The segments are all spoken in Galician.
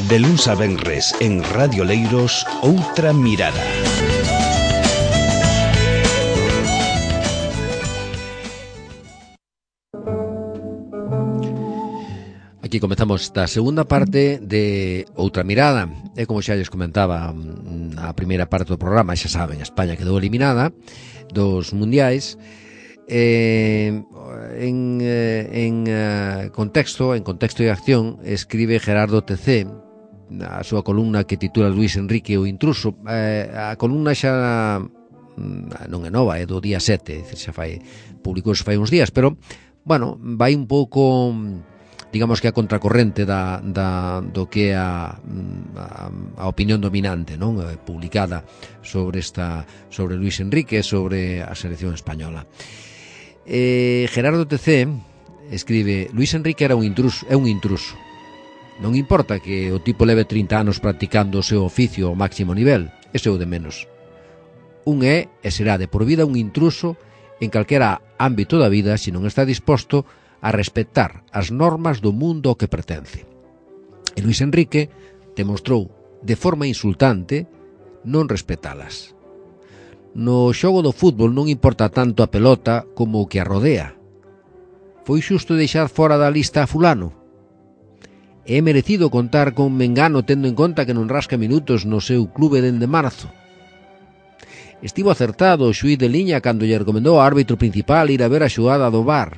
De luns a venres en Radio Leiros, Outra Mirada. Aquí comezamos esta segunda parte de Outra Mirada. E como xa lles comentaba a primeira parte do programa, xa saben, España quedou eliminada dos mundiais. En contexto de acción, escribe Gerardo TC a súa columna que titula Luís Enrique o intruso. A columna xa non é nova, é do día 7, xa publicouse fai uns días, pero bueno, vai un pouco, digamos que a contracorrente do que é a opinión dominante, non, publicada sobre Luís Enrique, sobre a selección española. Gerardo TC escribe: Luís Enrique é un intruso. Non importa que o tipo leve 30 anos practicando o seu oficio ao máximo nivel, ese é o de menos. Un é e será de por vida un intruso en calquera ámbito da vida se non está disposto a respetar as normas do mundo ao que pertence. E Luís Enrique demostrou de forma insultante non respetalas. No xogo do fútbol non importa tanto a pelota como o que a rodea. Foi xusto deixar fora da lista a fulano? É merecido contar con Mengano tendo en conta que non rasca minutos no seu clube dende marzo? Estivo acertado o xuíz de liña cando lle recomendou ao árbitro principal ir a ver a xogada do VAR?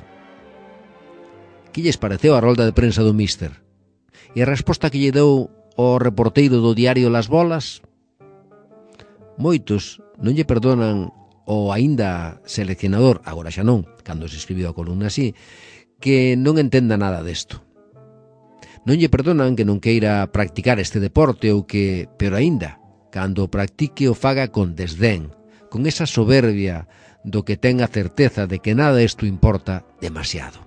Que lles pareceu a rolda de prensa do míster? E a resposta que lle deu ao reporteiro do diario Las Bolas? Moitos non lle perdonan ao aínda seleccionador, agora xa non, cando se escribiu a columna así, que non entenda nada desto. Non lle perdonan que non queira practicar este deporte ou que, pero aínda, cando o practique o faga con desdén, con esa soberbia do que ten a certeza de que nada isto importa demasiado.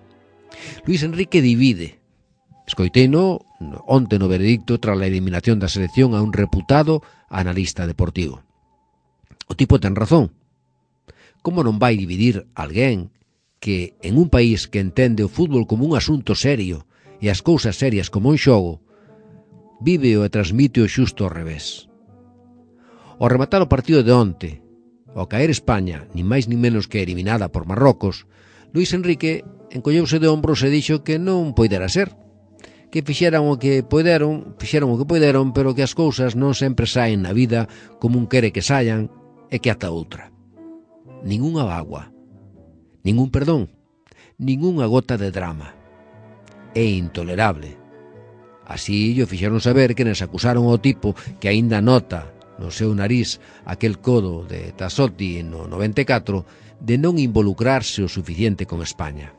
Luís Enrique divide. Escoiteino onte no veredicto tras a eliminación da selección a un reputado analista deportivo. O tipo ten razón. Como non vai dividir alguén que en un país que entende o fútbol como un asunto serio e as cousas serias como un xogo, vive e transmite o xusto ao revés? Ao rematar o partido de onte, ao caer España, nin máis nin menos que eliminada por Marrocos, Luís Enrique encolleuse de ombros e dixo que non poidera ser, que fixeron o que poideron, pero que as cousas non sempre saen na vida como un quere que saian e que ata outra. Ninguna bagua, ningún perdón, ningunha gota de drama. É intolerable. Así llo fixeron saber que nes acusaron ao tipo que aínda nota no seu nariz aquel codo de Tassotti no 94 de non involucrarse o suficiente con España.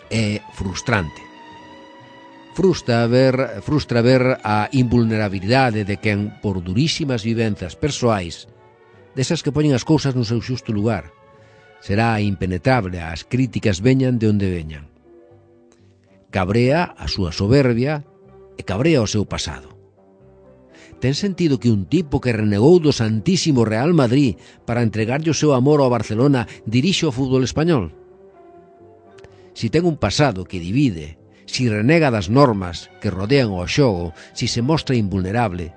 É frustrante. Frustra ver a invulnerabilidade de quen, por durísimas vivenzas persoais, desas que poñen as cousas no seu xusto lugar, será impenetrable as críticas veñan de onde veñan. Cabrea a súa soberbia e cabrea o seu pasado. Ten sentido que un tipo que renegou do Santísimo Real Madrid para entregarlle o seu amor ao Barcelona dirixe o fútbol español? Si ten un pasado que divide, si renega das normas que rodean o xogo, si se mostra invulnerable,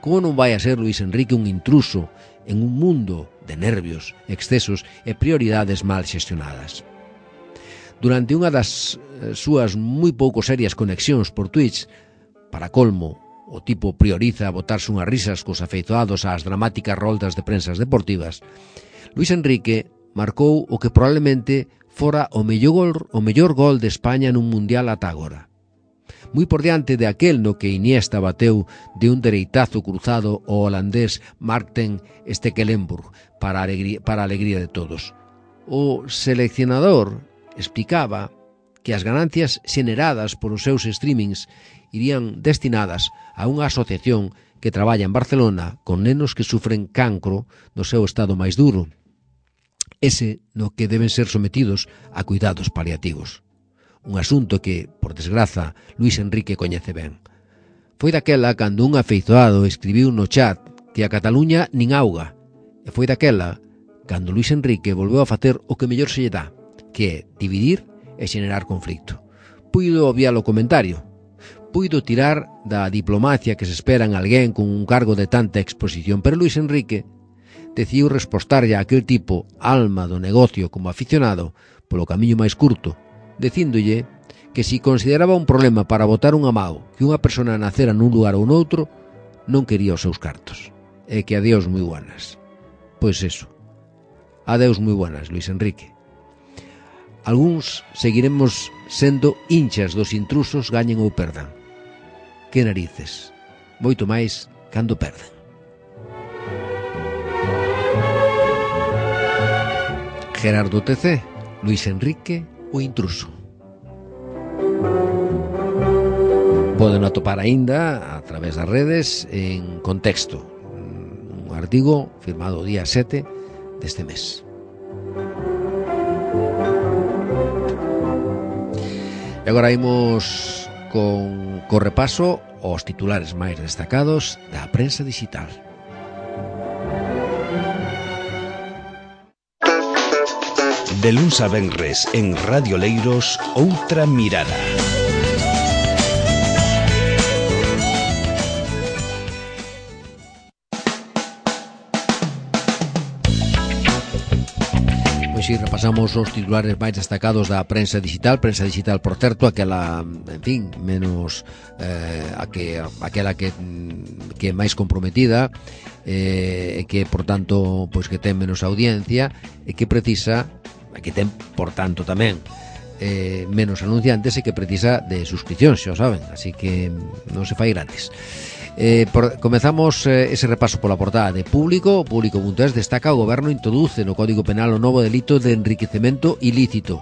como non vai a ser Luís Enrique un intruso en un mundo de nervios, excesos e prioridades mal xestionadas? Durante unha das súas moi pouco serias conexións por Twitch, para colmo, o tipo prioriza botarse unhas risas cos afeizoados ás dramáticas roldas de prensas deportivas, Luís Enrique marcou o que probablemente fora o mellor gol de España nun mundial ata agora. Moi por diante de aquel no que Iniesta bateu de un dereitazo cruzado ao holandés Marten Stekelenburg para a alegría de todos. O seleccionador explicaba que as ganancias xeneradas por os seus streamings irían destinadas a unha asociación que traballa en Barcelona con nenos que sufren cancro no seu estado máis duro, ese no que deben ser sometidos a cuidados paliativos. Un asunto que, por desgraza, Luís Enrique coñece ben. Foi daquela cando un afeizoado escribiu no chat que a Cataluña nin auga, e foi daquela cando Luís Enrique volveu a facer o que mellor se lle dá, que é dividir e xenerar conflicto. Puido obviar o comentario, puido tirar da diplomacia que se espera en alguén con un cargo de tanta exposición, pero Luis Enrique decidiu respostarlle a aquel tipo, alma do negocio como aficionado, polo camiño máis curto, dicíndolle que si consideraba un problema para botar un amago que unha persona nacera nun lugar ou noutro, non quería os seus cartos, e que adeus moi buenas. Pois eso, adeus moi buenas, Luis Enrique. Algúns seguiremos sendo hinchas dos intrusos, gañen ou perdan. Que narices, moito máis cando perden. Gerardo TC, Luis Enrique, o intruso. Poden atopar aínda a través das redes en Contexto, un artigo firmado o día 7 deste mes. E agora imos con repaso aos titulares máis destacados da prensa digital. De luns a venres en Radio Leiros, outra mirada. Si repasamos os titulares máis destacados da prensa digital, por certo, aquela, en fin, menos aquela que é máis comprometida, e que, por tanto, pois que ten menos audiencia, e que precisa, que ten, por tanto, tamén menos anunciantes, e que precisa de suscripcións, xa o saben, así que non se fai gratis. Comezamos ese repaso pola portada de Público. Público.es destaca: o goberno introduce no Código Penal o novo delito de enriquecemento ilícito.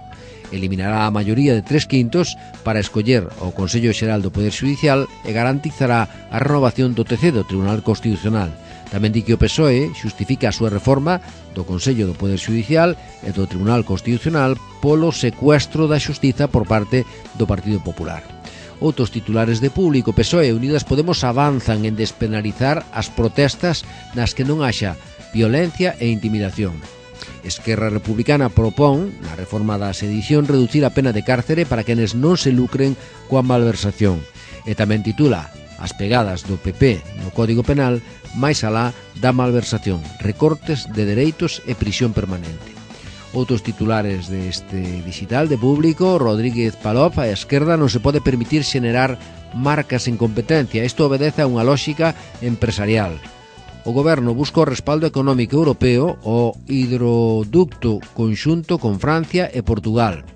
Eliminará a maioría de 3/5 para escoller o Consello Xeral do Poder Xudicial e garantizará a renovación do TC, do Tribunal Constitucional. Tamén di que o PSOE xustifica a súa reforma do Consello do Poder Xudicial e do Tribunal Constitucional polo secuestro da xustiza por parte do Partido Popular. Outros titulares de Público: PSOE e Unidas Podemos avanzan en despenalizar as protestas nas que non haxa violencia e intimidación. Esquerra Republicana propón, na reforma da sedición, reducir a pena de cárcere para quenes non se lucren coa malversación. E tamén titula: as pegadas do PP no Código Penal máis alá da malversación, recortes de dereitos e prisión permanente. Outros titulares deste digital de Público: Rodríguez Palop: a esquerda non se pode permitir xenerar marcas en competencia, isto obedece a unha lógica empresarial. O goberno busca o respaldo económico europeo ao hidroducto conxunto con Francia e Portugal.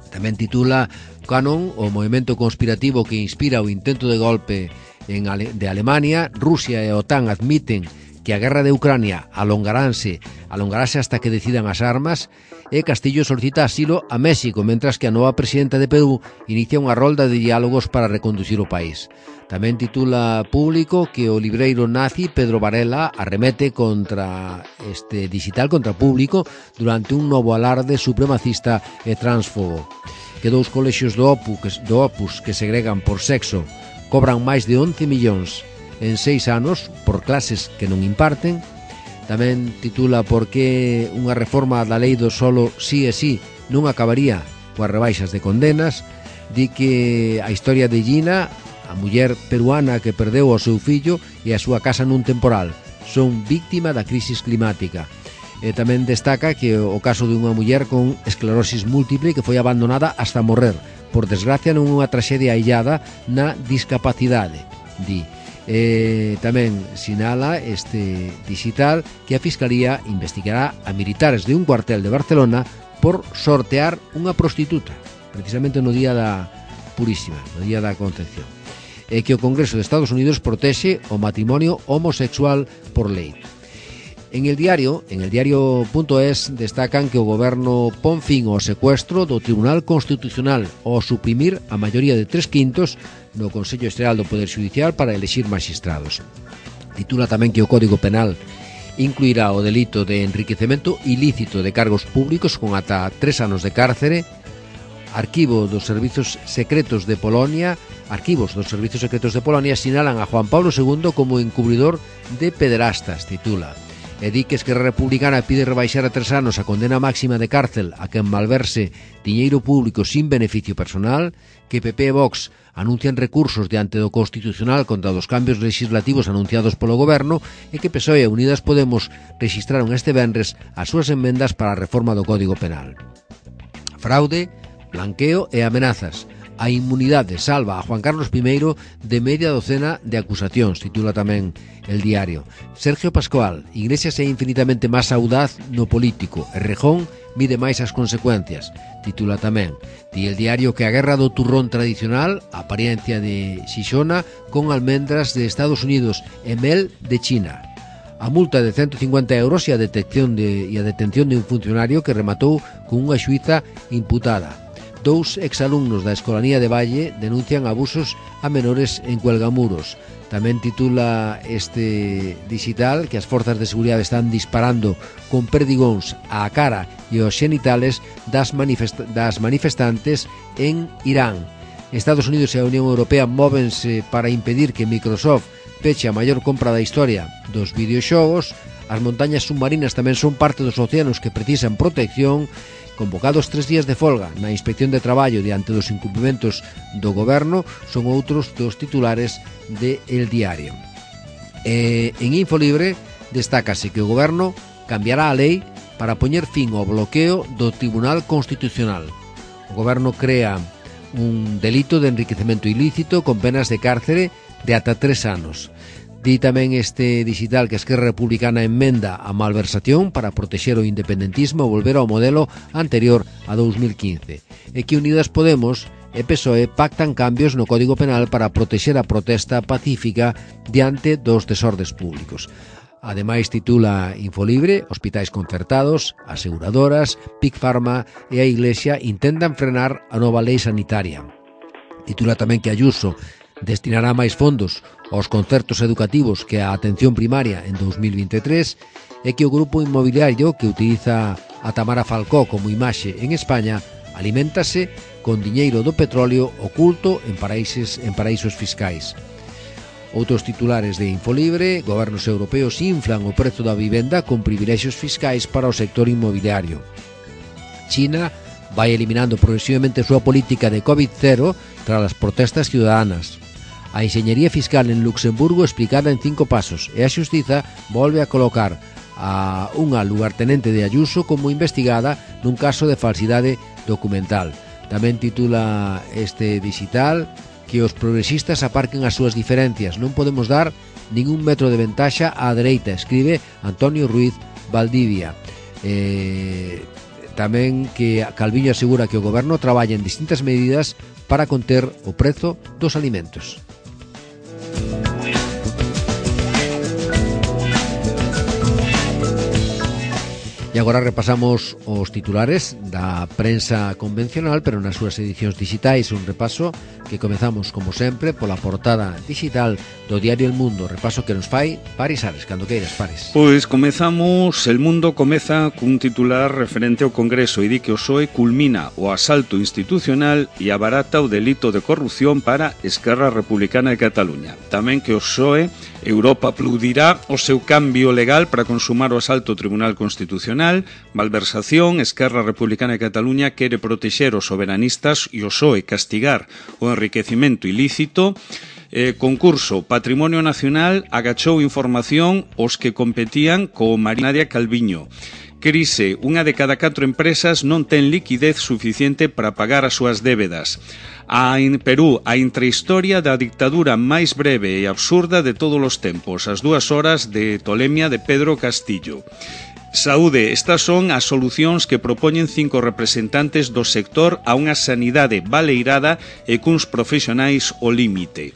Tamén titula Canon: o movimento conspirativo que inspira o intento de golpe de Alemania. Rusia e a OTAN admiten que a guerra de Ucrania alongarase hasta que decidan as armas, e Castillo solicita asilo a México, mentras que a nova presidenta de Perú inicia unha rolda de diálogos para reconducir o país. Tamén titula Público que o libreiro nazi Pedro Varela arremete contra este digital, contra Público, durante un novo alarde supremacista e transfobo. Que dous colexios do Opus que segregan por sexo cobran máis de 11 millóns en 6 anos por clases que non imparten. Tamén titula por que unha reforma da lei do solo sí e sí non acabaría coas rebaixas de condenas. Di que a historia de Gina, a muller peruana que perdeu o seu fillo e a súa casa nun temporal, son víctima da crisis climática. E tamén destaca que o caso de unha muller con esclerosis múltiple que foi abandonada hasta morrer, por desgracia non unha traxedia aillada na discapacidade, di. Tamén sinala este digital que a Fiscalía investigará a militares de un cuartel de Barcelona por sortear unha prostituta, precisamente no día da Purísima, no día da Concepción, e que o Congreso de Estados Unidos protexe o matrimonio homosexual por lei. En el diario.es destacan que o goberno pon fin ao secuestro do Tribunal Constitucional ao suprimir a maioría de 3/5 no Consello Xeral do Poder Xudicial para elexir magistrados. Titula tamén que o Código Penal incluirá o delito de enriquecemento ilícito de cargos públicos con ata 3 anos de cárcere. Arquivos dos Servizos Secretos de Polonia sinalan a Juan Pablo II como encubridor de pederastas, titula. E di que Esquerra Republicana pide rebaixar a 3 anos a condena máxima de cárcel a quen malverse diñeiro público sin beneficio personal, que PP e Vox anuncian recursos diante do Constitucional contra os cambios legislativos anunciados polo Goberno e que PSOE e Unidas Podemos rexistraron este venres as súas enmendas para a reforma do Código Penal. Fraude, blanqueo e amenazas. A inmunidade salva a Juan Carlos I de media docena de acusacións, titula tamén El Diario. Sergio Pascual, Iglesias é infinitamente máis audaz no político, e Rejón mide máis as consecuencias, titula tamén. Di El Diario que a guerra do turrón tradicional, a apariencia de Xixona, con almendras de Estados Unidos e mel de China. A multa de 150 euros e a detención de un funcionario que rematou con unha xuíza imputada. 2 exalumnos da Escolanía de Valle denuncian abusos a menores en Cuelgamuros. Tamén titula este digital que as forzas de seguridade están disparando con perdigóns á cara e aos xenitales das manifestantes en Irán. Estados Unidos e a Unión Europea móvense para impedir que Microsoft peche a maior compra da historia dos videoxogos. As montañas submarinas tamén son parte dos océanos que precisan protección. Convocados 3 días de folga na Inspección de Traballo diante dos incumprimentos do Goberno son outros dos titulares de El Diario. En Infolibre destácase que o Goberno cambiará a lei para poñer fin ao bloqueo do Tribunal Constitucional. O Goberno crea un delito de enriquecemento ilícito con penas de cárcere de ata 3 anos. Di tamén este digital que a Esquerra Republicana enmenda a malversación para protexer o independentismo e volver ao modelo anterior a 2015 e que Unidas Podemos e PSOE pactan cambios no Código Penal para protexer a protesta pacífica diante dos desordes públicos. Ademais, titula Infolibre, hospitais concertados, aseguradoras, Big Pharma e a Iglesia intentan frenar a nova lei sanitaria. Titula tamén que Ayuso destinará máis fondos aos concertos educativos que a atención primaria en 2023 e que o grupo inmobiliario que utiliza a Tamara Falcó como imaxe en España aliméntase con diñeiro do petróleo oculto en paraísos fiscais. Outros titulares de Infolibre: gobernos europeos inflan o prezo da vivenda con privilexios fiscais para o sector inmobiliario. China vai eliminando progresivamente a súa política de COVID-0 tras as protestas ciudadanas. A enxeñería fiscal en Luxemburgo explicada en 5 pasos e a xustiza volve a colocar a unha lugartenente de Ayuso como investigada nun caso de falsidade documental. Tamén titula este digital que os progresistas aparquen as súas diferencias. Non podemos dar ningún metro de ventaxa á dereita, escribe Antonio Ruiz Valdivia. Tamén que Calviño asegura que o goberno traballa en distintas medidas para conter o prezo dos alimentos. E agora repasamos os titulares da prensa convencional, pero nas súas edicións digitais, un repaso que comezamos, como sempre, pola portada digital do diario El Mundo, repaso que nos fai Paris Ares, cando queiras, Paris. Pois comezamos, El Mundo comeza cun titular referente ao Congreso e di que o PSOE culmina o asalto institucional e abarata o delito de corrupción para Esquerra Republicana de Cataluña. Tamén que o PSOE, Europa aplaudirá o seu cambio legal para consumar o asalto ao Tribunal Constitucional. Malversación, Esquerra Republicana de Cataluña quere protexer os soberanistas e o PSOE castigar o enriquecimento ilícito. Concurso, Patrimonio Nacional agachou información os que competían co Nadia Calviño. Crise, unha de cada 4 empresas non ten liquidez suficiente para pagar as súas débedas. En Perú, a intrahistoria da dictadura máis breve e absurda de todos os tempos, as 2 horas de tolemia de Pedro Castillo. Saúde, estas son as solucións que propoñen 5 representantes do sector a unha sanidade baleirada e cuns profesionais ao límite.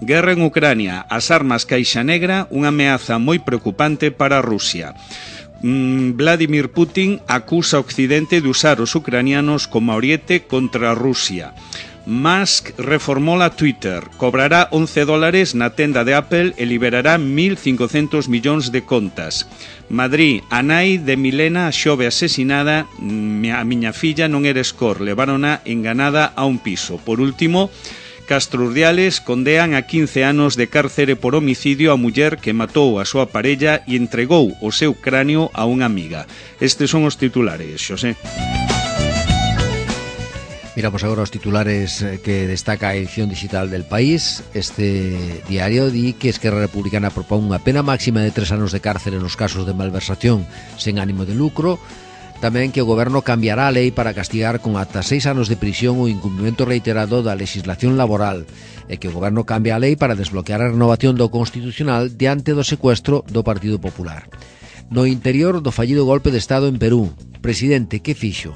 Guerra en Ucrania, as armas caixa negra, unha ameaza moi preocupante para Rusia. Vladimir Putin acusa a Occidente de usar os ucranianos como ariete contra Rusia. Musk reformola Twitter, cobrará $11 na tenda de Apple e liberará 1.500 millóns de contas. Madrid, a nai de Milena xove asesinada, a miña filla non era escor, levárona enganada a un piso. Por último, Castro Urdiales condean a 15 anos de cárcere por homicidio a muller que matou a súa parella e entregou o seu cráneo a unha amiga. Estes son os titulares, Xosé. Miramos agora os titulares que destaca a edición digital del País. Este diario di que Esquerra Republicana propón unha pena máxima de 3 anos de cárcere nos casos de malversación sen ánimo de lucro. Tamén que o Goberno cambiará a lei para castigar con ata 6 anos de prisión o incumprimento reiterado da legislación laboral, e que o Goberno cambia a lei para desbloquear a renovación do Constitucional diante do secuestro do Partido Popular. No interior do fallido golpe de Estado en Perú, presidente, que fixo?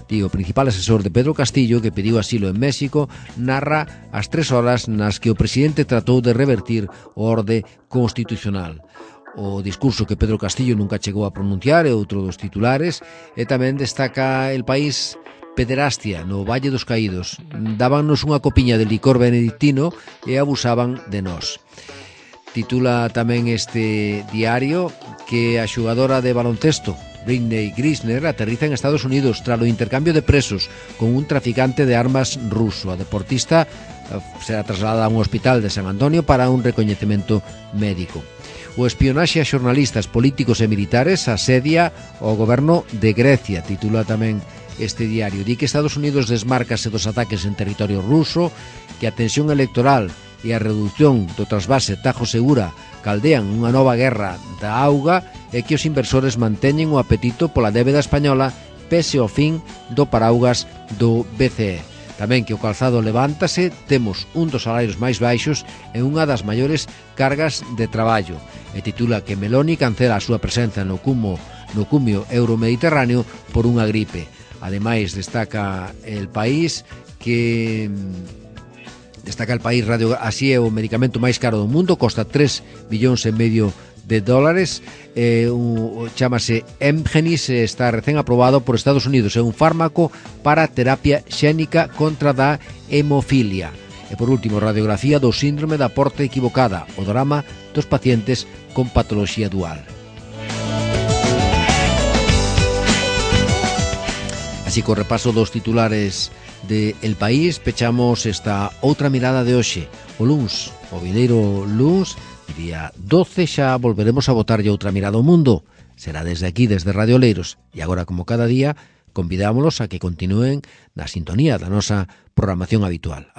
Di o principal asesor de Pedro Castillo, que pediu asilo en México, narra as 3 horas nas que o presidente tratou de revertir o orde constitucional. O discurso que Pedro Castillo nunca chegou a pronunciar é outro dos titulares, e tamén destaca El País: pederastia no Valle dos Caídos. Dábannos unha copiña de licor benedictino e abusaban de nós. Titula tamén este diario que a xogadora de baloncesto Britney Griner aterriza en Estados Unidos tras o intercambio de presos con un traficante de armas ruso. A deportista será trasladada a un hospital de San Antonio para un recoñecemento médico. O espionaxe a xornalistas, políticos e militares asedia o goberno de Grecia, titula tamén este diario. Di que Estados Unidos desmárcase dos ataques en territorio ruso, que a tensión electoral e a reducción do trasvase Tajo Segura caldean unha nova guerra da auga e que os inversores manteñen o apetito pola débeda española pese ao fin do paraugas do BCE. Tamén que o calzado levántase, temos un dos salarios máis baixos e unha das maiores cargas de traballo. E titula que Meloni cancela a súa presenza no cumio euromediterráneo por unha gripe. Ademais, destaca El País que... Radio, así é o medicamento máis caro do mundo, costa 3,5 billions de dólares, chámase Emgenis, está recén aprobado por Estados Unidos, é un fármaco para terapia xénica contra da hemofilia. E por último, radiografía do síndrome da porta equivocada, o drama dos pacientes con patoloxía dual. Así que o repaso dos titulares de El País, pechamos esta outra mirada de hoxe, o luns, o vindeiro luns, día 12, xa volveremos a botarlle outra mirada ao mundo. Será desde aquí, desde Radio Oleiros, e agora, como cada día, convidámolos a que continúen na sintonía da nosa programación habitual.